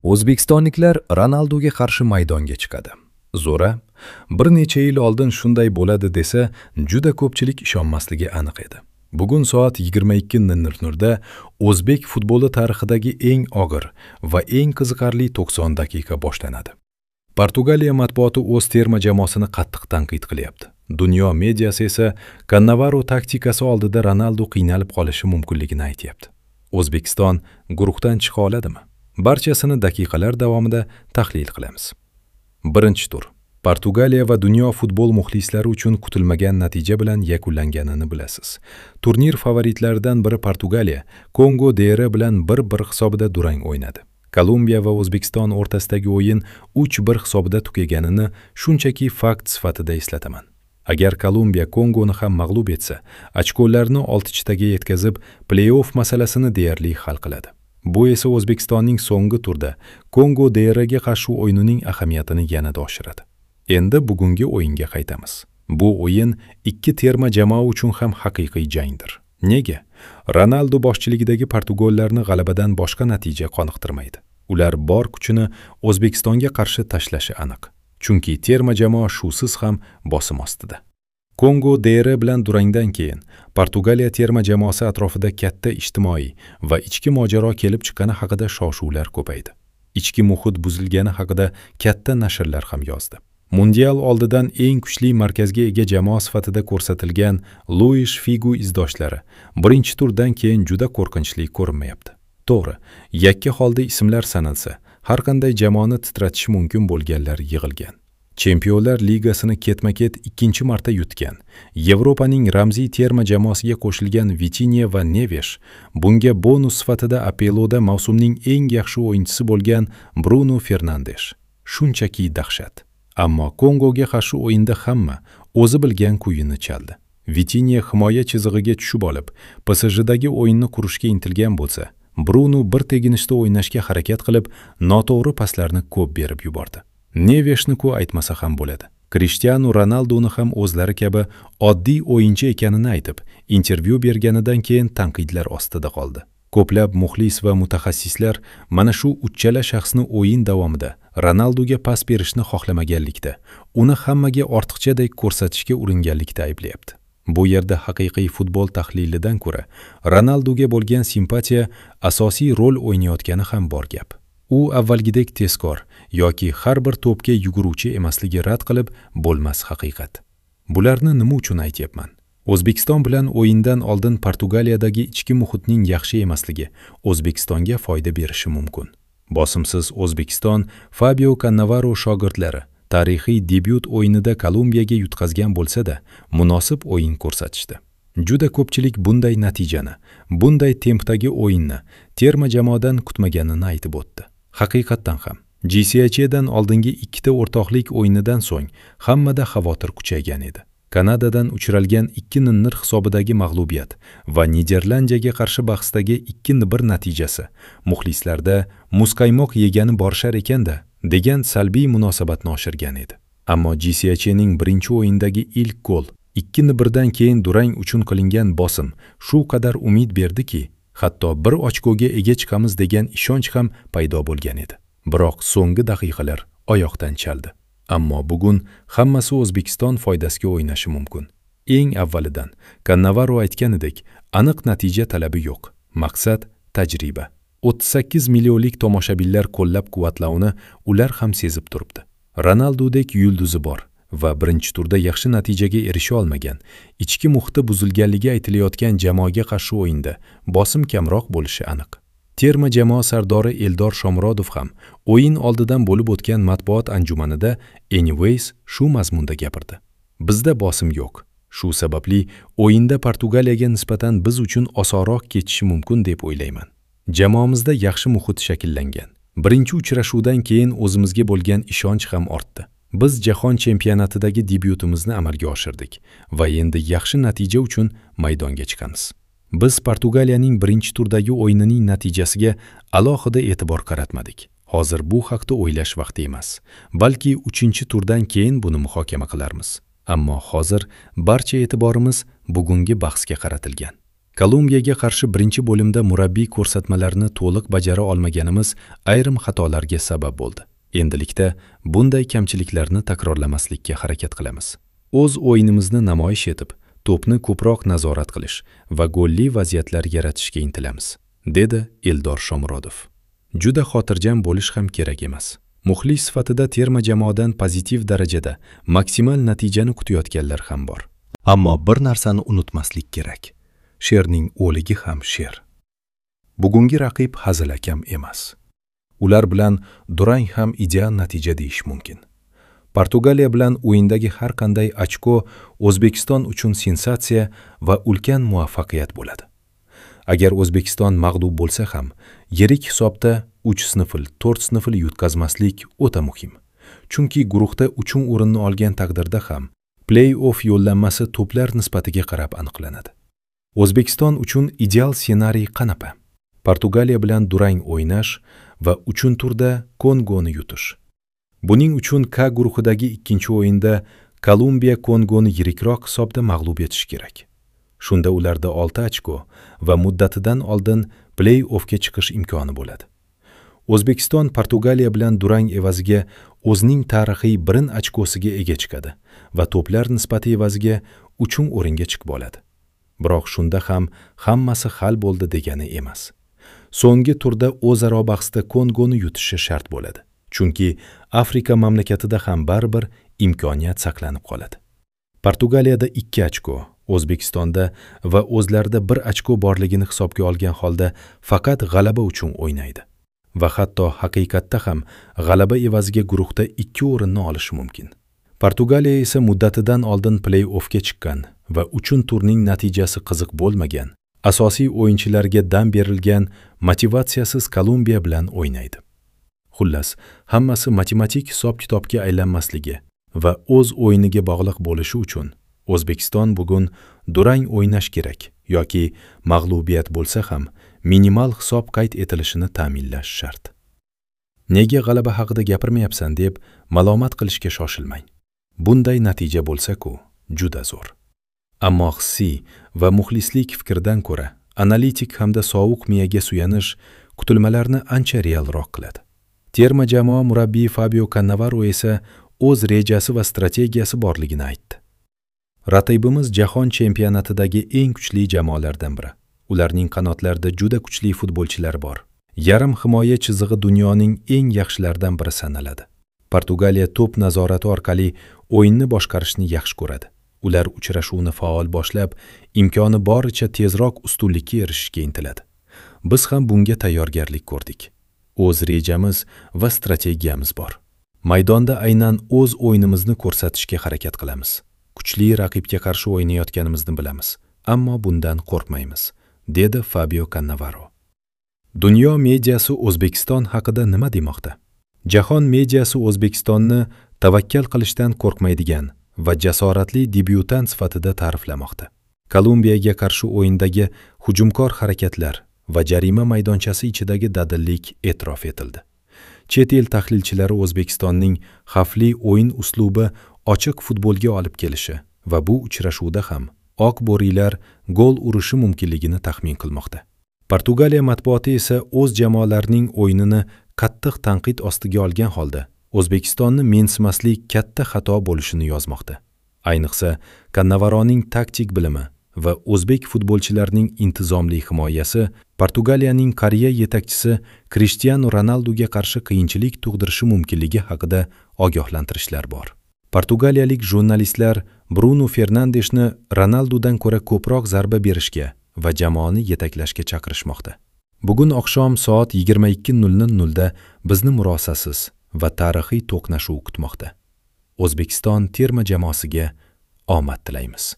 O'zbekistonliklar Ronaldoga qarshi maydonga chiqadi. Zo'ra, bir necha yil oldin shunday bo'ladi desa, juda ko'pchilik ishonmasligi aniq edi. Bugun soat 22:00 da o'zbek futboli tarixidagi eng og'ir va eng qiziqarli 90 daqiqa boshlanadi. Portugaliya matbuoti o'z terma jamoasini qattiq tanqid qilyapti. Dunyo mediasi esa Cannavaro taktikasi oldida Ronaldo qiynalib qolishi mumkinligini aytyapti. O'zbekiston guruhdan chiqa oladimi? Barchasini daqiqalar davomida tahlil qilamiz. Birinchi tur Portugaliya va dunyo futbol muxlislari uchun kutilmagan natija bilan yakunlanganini bilasiz. Turnir favoritlaridan biri Portugaliya Kongo DR bilan 1-1 hisobida durang o'ynadi. Kolumbiya va O'zbekiston o'rtasidagi o'yin 3-1 hisobida tugaganini shunchaki fakt sifatida eslataman. Agar Kolumbiya Kongoni ham mag'lub etsa, ochkolarni 6taga yetkazib, play-off masalasini deyarli hal qiladi. Bu esa O'zbekistonning so'nggi turda Kongo DRga qarshi o'yinining ahamiyatini yanada oshiradi. Endi bugungi o'yinga qaytamiz. Bu o'yin ikki terma jamoa uchun ham haqiqiy jangdir. Nega? Ronaldo boshchiligidagi portugallarni g'alabadan boshqa natija qoniqtirmaydi. Ular bor kuchini O'zbekistonga qarshi tashlashi aniq. Chunki terma jamoa shusiz ham bosim ostida. Kongo DR bilan durangdan keyin Portugaliya terma jamoasi atrofida katta ijtimoiy va ichki mojaro kelib chiqqani haqida shov-shuvlar ko'paydi. Ichki muhit buzilgani haqida katta nashrlar ham yozdi. Mundial oldidan eng kuchli markazga ega jamoa sifatida ko'rsatilgan Luish Figu izdoshlari birinchi turdan keyin juda qo'rqinchli ko'rinmayapti. To'g'ri, yakka holda ismlar sanalsa, har qanday jamoani titratishi mumkin bo'lganlar yig'ilgan. Chempionlar ligasini ketma-ket ikkinchi marta yutgan, Yevropaning ramziy terma jamoasiga qo'shilgan Vitinha va Neves, bunga bonus sifatida Apeloda mavsumning eng yaxshi o'yinchisi bo'lgan Bruno Fernandes. Shunchaki dahshat. Ammo Kongoga qarshi o'yinda hamma o'zi bilgan kuyini chaldi. Vitinha himoya chizig'iga tushib olib, PSJdagi o'yinni qurishga intilgan bo'lsa, Bruno bir teginishda o'ynashga harakat qilib, noto'g'ri paslarni ko'p berib yubordi. Neveshni-ku aytmasa ham bo'ladi. Cristiano Ronaldoni ham o'zlari kabi oddiy o'yinchi ekanini aytib, intervyu berganidan keyin tanqidlar ostida qoldi. Ko'plab muxlis va mutaxassislar mana shu uchala shaxsni o'yin davomida Ronaldoga pas berishni xohlamaganlikda, uni hammaga ortiqchadek ko'rsatishga uringanlikda ayblayapti. Bu yerda haqiqiy futbol tahlilidan ko'ra Ronaldoga bo'lgan simpatiya asosiy rol o'ynayotgani ham bor gap. U avvalgidek tezkor yoki har bir to'pga yuguruvchi emasligi rad qilib bo'lmas haqiqat. Bularni nima uchun aytyapman? O'zbekiston bilan o'yindan oldin Portugaliyadagi ichki muhitning yaxshi emasligi O'zbekistonga foyda berishi mumkin. Bosimsiz O'zbekiston Fabio Cannavaro shogirdlari tarixiy debyut o'yinida Kolumbiyaga yutqazgan bo'lsa-da, munosib o'yin ko'rsatishdi. Juda ko'pchilik bunday natijani, bunday tempdagi o'yinni terma jamoadan kutmaganini aytib o'tdi. Haqiqatdan ham GCHdan oldingi ikkita o'rtoqlik o'yinidan so'ng hammada xavotir kuchaygan edi. Kanadadan uchralgan 2-0 hisobidagi mag'lubiyat va Niderlandiyaga qarshi bahsdagi 2-1 natijasi muxlislarda muzqaymoq yegani borishar ekanda degan salbiy munosabatni oshirgan edi. Ammo GCHning birinchi o'yindagi ilk gol 2-1 dan keyin durang uchun qilingan bosim shu qadar umid berdiki, hatto bir ochkoga ega chiqamiz degan ishonch ham paydo bo'lgan edi. Biroq so'nggi daqiqalar oyoqdan chaldi. Ammo bugun hammasi O'zbekiston foydasiga o'ynashi mumkin. Eng avvalidan Cannavaro aytganidek, aniq natija talabi yo'q. Maqsad tajriba. 38 millionlik tomoshabinlar qo'llab-quvvatlovini ular ham sezib turibdi. Ronaldodek yulduzi bor va birinchi turda yaxshi natijaga erisha olmagan, ichki muhiti buzilganligi aytilayotgan jamoaga qarshi o'yinda bosim kamroq bo'lishi aniq. Terma jamoa sardori Eldor Shomurodov ham o'yin oldidan bo'lib o'tgan matbuot anjumanida anyways shu mazmunda gapirdi. Bizda bosim yo'q. Shu sababli o'yinda Portugaliyaga nisbatan biz uchun osonroq kechishi mumkin deb o'ylayman. Jamoamizda yaxshi muhit shakllangan. Birinchi uchrashuvdan keyin o'zimizga bo'lgan ishonch ham ortdi. Biz jahon chempionatidagi debyutimizni amalga oshirdik va endi yaxshi natija uchun maydonga chiqamiz. Biz Portugaliyaning birinchi turdagi o'yinining natijasiga alohida e'tibor qaratmadik. Hozir bu haqda o'ylash vaqti emas, balki 3-turdan keyin buni muhokama qilarmiz. Ammo hozir barcha e'tiborimiz bugungi bahsga qaratilgan. Kolumbiyaga qarshi birinchi bo'limda murabbiy ko'rsatmalarini to'liq bajara olmaganimiz ayrim xatolarga sabab bo'ldi. Endilikda bunday kamchiliklarni takrorlamaslikka harakat qilamiz. O'z o'yinimizni namoyish etib, to'pni ko'proq nazorat qilish va golli vaziyatlar yaratishga intilamiz, dedi Eldor Shomurodov. Juda xotirjam bo'lish ham kerak emas. Muxlis sifatida terma jamoadan pozitiv darajada maksimal natijani kutayotganlar ham bor. Ammo bir narsani unutmaslik kerak. Sherning o'ligi ham sher. Bugungi raqib hazilakam emas. Ular bilan durang ham ideal natija deyish mumkin. Portugaliya bilan o'yindagi har qanday ochko O'zbekiston uchun sensatsiya va ulkan muvaffaqiyat bo'ladi. Agar O'zbekiston mag'lub bo'lsa ham, yirik hisobda 3-0, 4-0 yutqazmaslik o'ta muhim. Chunki guruhda 3-o'rinni olgan taqdirda ham play-off yo'llanmasi to'plar nisbatiga qarab aniqlanadi. O'zbekiston uchun ideal ssenariy qanaqa? Portugaliya bilan durang o'ynash va 3-turda Kongoni yutish. Buning uchun K guruhidagi ikkinchi o'yinda Kolumbiya Kongoni yirikroq hisobda mag'lub etish kerak. Shunda ularda 6 ochko va muddatidan oldin play-offga chiqish imkoni bo'ladi. O'zbekiston Portugaliya bilan durang evaziga o'zining tarixiy 1 ochkosiga ega chiqadi va to'plar nisbati evaziga 3-o'ringa chiqib oladi. Biroq shunda ham hammasi hal bo'ldi degani emas. So'nggi turda o'zaro bahsda Kongoni yutishi shart bo'ladi. Chunki Afrika mamlakatida ham baribir imkoniyat saqlanib qoladi. Portugaliyada 2 ochko, O'zbekistonda va o'zlarida 1 ochko borligini hisobga olgan holda faqat g'alaba uchun o'ynaydi. Va hatto haqiqatda ham g'alaba evaziga guruhda 2 o'rinni olishi mumkin. Portugaliya esa muddatidan oldin play-offga chiqqan va 3-turning natijasi qiziq bo'lmagan, asosiy o'yinchilarga dam berilgan motivatsiyasiz Kolumbiya bilan o'ynaydi. Xullas, hammasi matematik hisob-kitobga aylanmasligi va o'z o'yiniga bog'liq bo'lishi uchun O'zbekiston bugun durang o'ynash kerak yoki mag'lubiyat bo'lsa ham minimal hisob qayd etilishini ta'minlash shart. Nega g'alaba haqida gapirmayapsan deb malomat qilishga shoshilmang. Bunday natija bo'lsa-ku, juda zo'r. Ammo hissiy va muxlislik fikridan ko'ra analitik hamda sovuq miyaga suyanish kutilmalarni ancha realroq qiladi. Terma jamoa murabbiyi Fabio Cannavaro esa o'z rejasi va strategiyasi borligini aytdi. Raqibimiz jahon chempionatidagi eng kuchli jamoalardan biri. Ularning qanotlarida juda kuchli futbolchilar bor. Yarim himoya chizig'i dunyoning eng yaxshilaridan biri sanaladi. Portugaliya to'p nazorati orqali o'yinni boshqarishni yaxshi ko'radi. Ular uchrashuvni faol boshlab, imkoni boricha tezroq ustunlikka erishishga intiladi. Biz ham bunga tayyorgarlik ko'rdik. O'z rejamiz va strategiyamiz bor. Maydonda aynan o'z o'yinimizni ko'rsatishga harakat qilamiz. Kuchli raqibga qarshi o'ynayotganimizni bilamiz, ammo bundan qo'rqmaymiz, dedi Fabio Cannavaro. Dunyo mediasi O'zbekiston haqida nima demoqda? Jahon mediasi O'zbekistonni tavakkal qilishdan qo'rqmaydigan va jasoratli debyutant sifatida ta'riflamoqda. Kolumbiyaga qarshi o'yindagi hujumkor harakatlar va jarima maydonchasi ichidagi dadillik e'tirof etildi. Chet el tahlilchilari O'zbekistonning xavfli o'yin uslubi ochiq futbolga olib kelishi va bu uchrashuvda ham oq bo'rilar gol urishi mumkinligini taxmin qilmoqda. Portugaliya matbuoti esa o'z jamoalarining o'yinini qattiq tanqid ostiga olgan holda O'zbekistonni mensimaslik katta xato bo'lishini yozmoqda. Ayniqsa, Cannavaroning taktik bilimi va o'zbek futbolchilarining intizomli himoyasi Portugaliyaning qariya yetakchisi Krishtianu Ronalduga qarshi qiyinchilik tug'dirishi mumkinligi haqida ogohlantirishlar bor. Portugaliyalik jurnalistlar Bruno Fernandeshni Ronaldudan ko'ra ko'proq zarba berishga va jamoani yetaklashga chaqirishmoqda. Bugun oqshom soat 22:00 da bizni murosasiz va tarixiy to'qnashuv kutmoqda. O'zbekiston terma jamoasiga omad tilaymiz.